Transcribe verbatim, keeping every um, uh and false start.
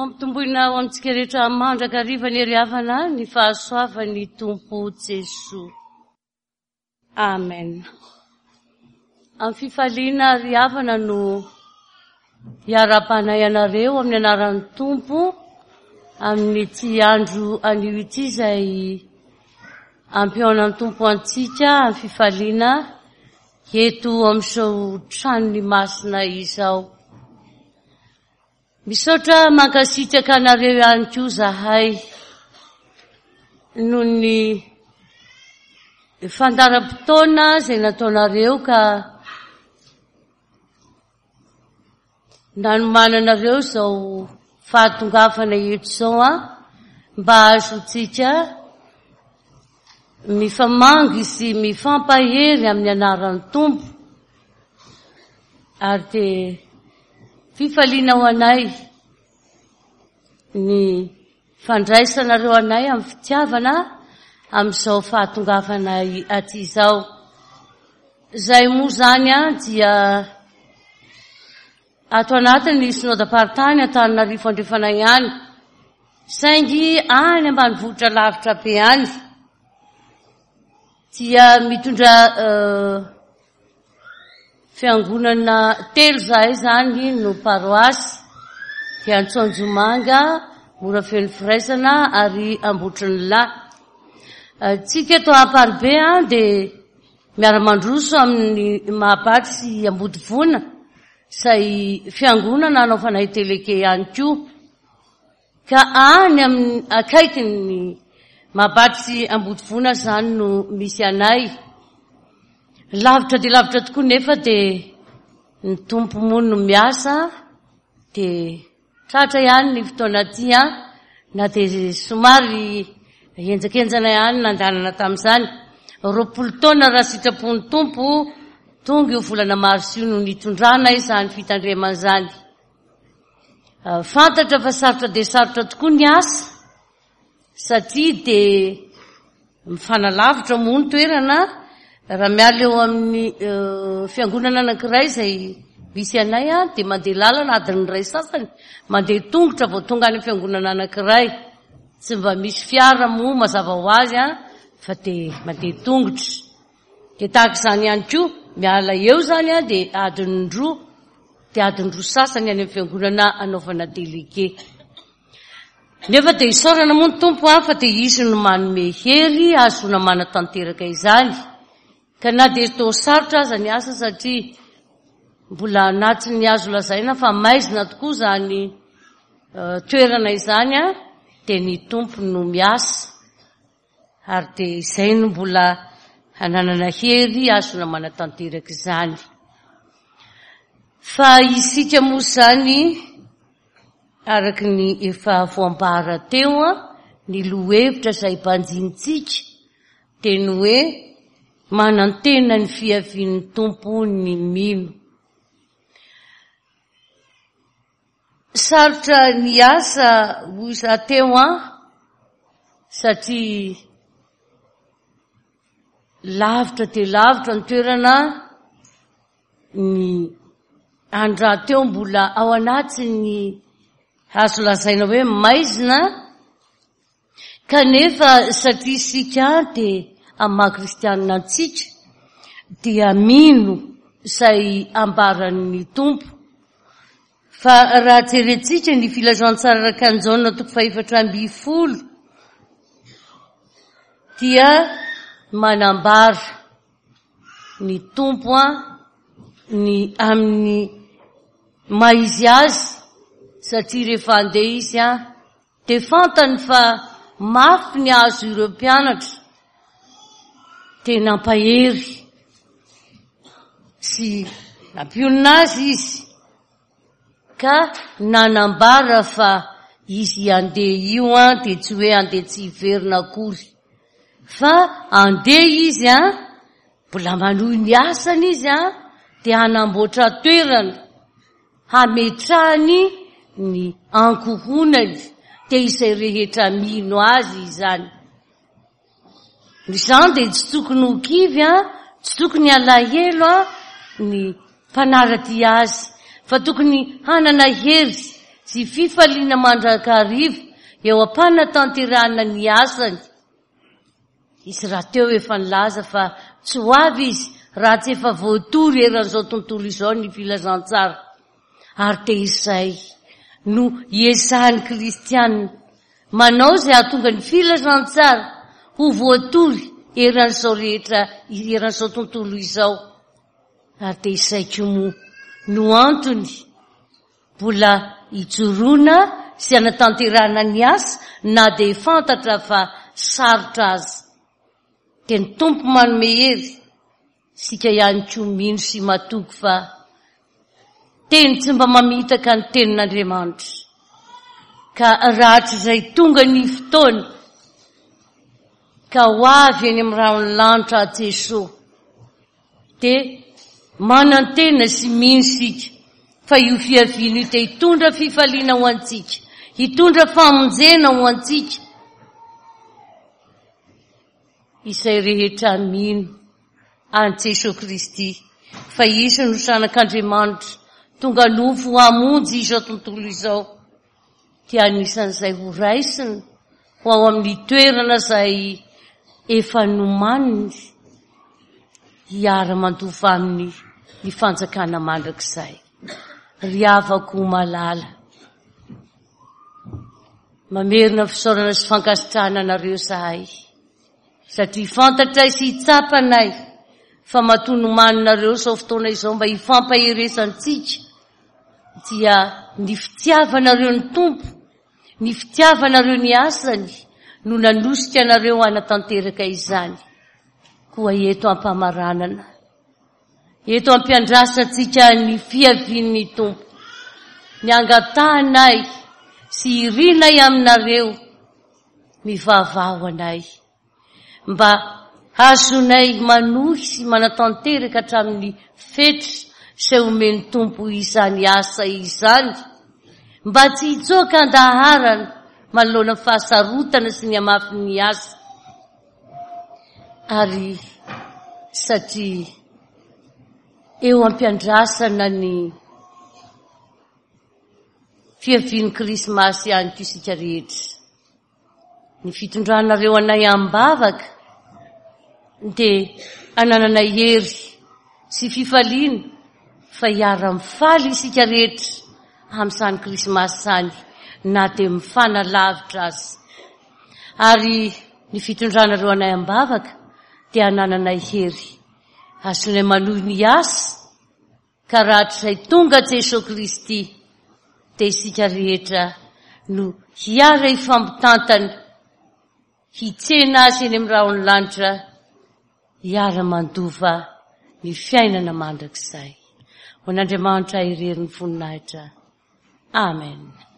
Ampitomboina ho amintsika rehetra mandrakariva ny ry havana ny fahasoavan'ny Tompo Jesoa. Amen. Amin'ny fifaliana ry havana no iarahabanay anareo amin'ny anaran'ny Tompo amin'ity andro anio ity izay ampihaonan'ny Tompo antsika amin'ny fifaliana eto amin'izao tranony masina izao. Misaotra mankasitraka anareo ihany koa zahay noho ny fandaharam-potoana izay nataonareo ka nanomananareo izao fahatongavana eto izao an, mba hahazoantsika mifamangy sy mifampahery amin'ny anaran'ny Tompo. Ary dia fifaliana ho anay ny fandraisanareo anay amin'ny fitiavana amin'izao fahatongavanay aty izao. Izay moa izany an dia ato anatin'ny synodam-paritany Antananarivo Andrefana ihany, saingy any ambanivohitra lavitra be any dia mitondra fiangonana telo zahay zany no paroasy, dia Antsonjomanga, Morafeno Firaisana ary Ambotrin'ny-Lahy. Tsika eto Amparibe an dia miara-mandroso amin'ny Mahabaty sy Ambodivona, izay fiangonana anaovanay teleke ihany koa. Ka any amin'ny akaikin'ny Mahabaty sy Ambodivona zany no misy anay. Lavitra dia lavitra tokoa nefa dia ny Tompo moa no miasa, dia tratra ihany ny fotoana aty an, na dia somary henjakenjana ihany nandanana tamin'izany. Roapolo taona raha sitrapon'ny Tompo, tonga io volana marsa io no nitondrana izany fitandremana izany. Fantatra fa sarotra dia sarotra tokoa ny asa, satria dia mifanalavitra moa ny toerana. Raha miala eo amin'ny fiangonana anankiray izay misy anay an, dia mandeha lalana adiny iray sasany, mandeha tongotra vao tonga any amin'ny fiangonana anankiray. Tsy mba misy fiara moa mazava ho azy an, fa dia mandeha tongotra. Dia tahaka izany ihany koa, miala eo izany an, dia adiny roa, dia adiny roa sasany any amin'ny fiangonana anaovana délégué. Nefa dia isaorana moa ny Tompo an, fa dia izy no manome hery ahazoana manatanteraka izany. Ka na dia toa sarotra aza ny asa, satria mbola anatin'ny azo lazaina fa maizina tokoa izany toerana izany an, dia ny Tompo no miasa. Ary dia izay no mbola hananana hery ahazoana manatanteraka izany. Fa isika moa izany, araka ny efa voambara teo an, ny lohahevitra izay banjinintsika dia ny hoe manantena ny fiavian'ny Tompo ny mino. Sarotra ny asa hoy za teo an, satria lavitra dia lavitra ny toerana, ny andro rahateo mbola ao anatin'ny azo lazaina hoe maizina, kanefa satria isika dia amin'ny maha kristianina antsika dia mino izay ambaran'ny Tompo. Fa raha jerentsika ny filazantsara araka an'i Jaona toko fahefatra ambin'ny folo dia manambara ny Tompo an, ny amin'ny maha izy azy, satria rehefa handeha izy an, dia fantany fa mafy ny azo ireo mpianatra, dia nampahery sy nampionona azy izy, ka nanambara fa izy handeha io an, dia tsy hoe handeha tsy hiverina akory, fa handeha izy an, mbola manohy ny asany izy an, dia hanamboatra toerana hametrahany ny ankohonany, dia izay rehetra mino azy izany. Izany dia tsy tokony ho kivy an, tsy tokony halahelo an ny mpanara-dia azy, fa tokony hanana hery sy fifaliana mandrakariva eo am-panatanterahana ny asany. Izy rahateo efa nilaza fa tsy ho avy izy raha tsy efa voatory eran'izao tontolo izao ny filazantsara. Ary dia izay no iezahan'ny kristianina manao izay hahatonga ny filazantsara ho voatory eran'izao rehetra, eran'izao tontolo izao. Ary dia izay koa moa no antony mbola ijoroana sy hanatanterahana ny asa na dia fantatra fa sarotra aza. Dia ny Tompo manome hery, isika ihany koa mino sy matoky fa teny tsy mba mamitaka ny tenin'Andriamanitra. Ka rahatrizay tonga ny fotoana ka ho avy eny amin'ny rahon'ny lanitra Jesoa, dia manantena sy mino isika fa io fiaviana io dia hitondra fifaliana ho antsika, hitondra famonjena ho antsika. Izay rehetra mino an'i Jesoa Kristy fa Izy no Zanak'Andriamanitra tonga nofo hamonjy izao tontolo izao, dia anisan'izay ho raisina ho ao amin'ny toerana izay efa nomaniny hiara-mandova aminy ny fanjakana mandrakizay. Ry havako malala, mamerina fisaorana sy fankasitrahana anareo izahay, satria fantatray sy tsapanay fa matoa nomaninareo izao fotoana izao mba hifampaherezantsika, dia ny fitiavanareo ny Tompo, ny fitiavanareo ny asany no nanosika anareo hanatanteraka izany. Koa eto am-pamaranana, eto am-piandrasantsika ny fiavian'ny Tompo, ny angatahanay sy irinay aminareo, mivavaha ho anay, mba hazonay manohy sy manatanteraka hatramin'ny fetra izay omen'ny Tompo izany asa izany, mba tsy hitsoaka an-daharana manoloana ny fahasarotana sy ny hamafin'ny asa. Ary satria eo am-piandrasana ny fiavian'ny Krismasy ihany koa isika rehetra, ny fitondranareo anay am-bavaka dia anananay hery sy fifaliana fa hiara-mifaly isika rehetra amin'izany Krismasy izany na dia mifanalavitra aza. Ary ny fitondranareo anay am-bavaka dia anananay hery azonay manohy ny asa, ka rahatrizay tonga Jesoa Kristy dia isika rehetra no hiara hifampitantana, hitsena azy eny amin'ny rahon'ny lanitra, hiara-mandova ny fiainana mandrakizay. Ho an'Andriamanitra irery ny voninahitra. Amen.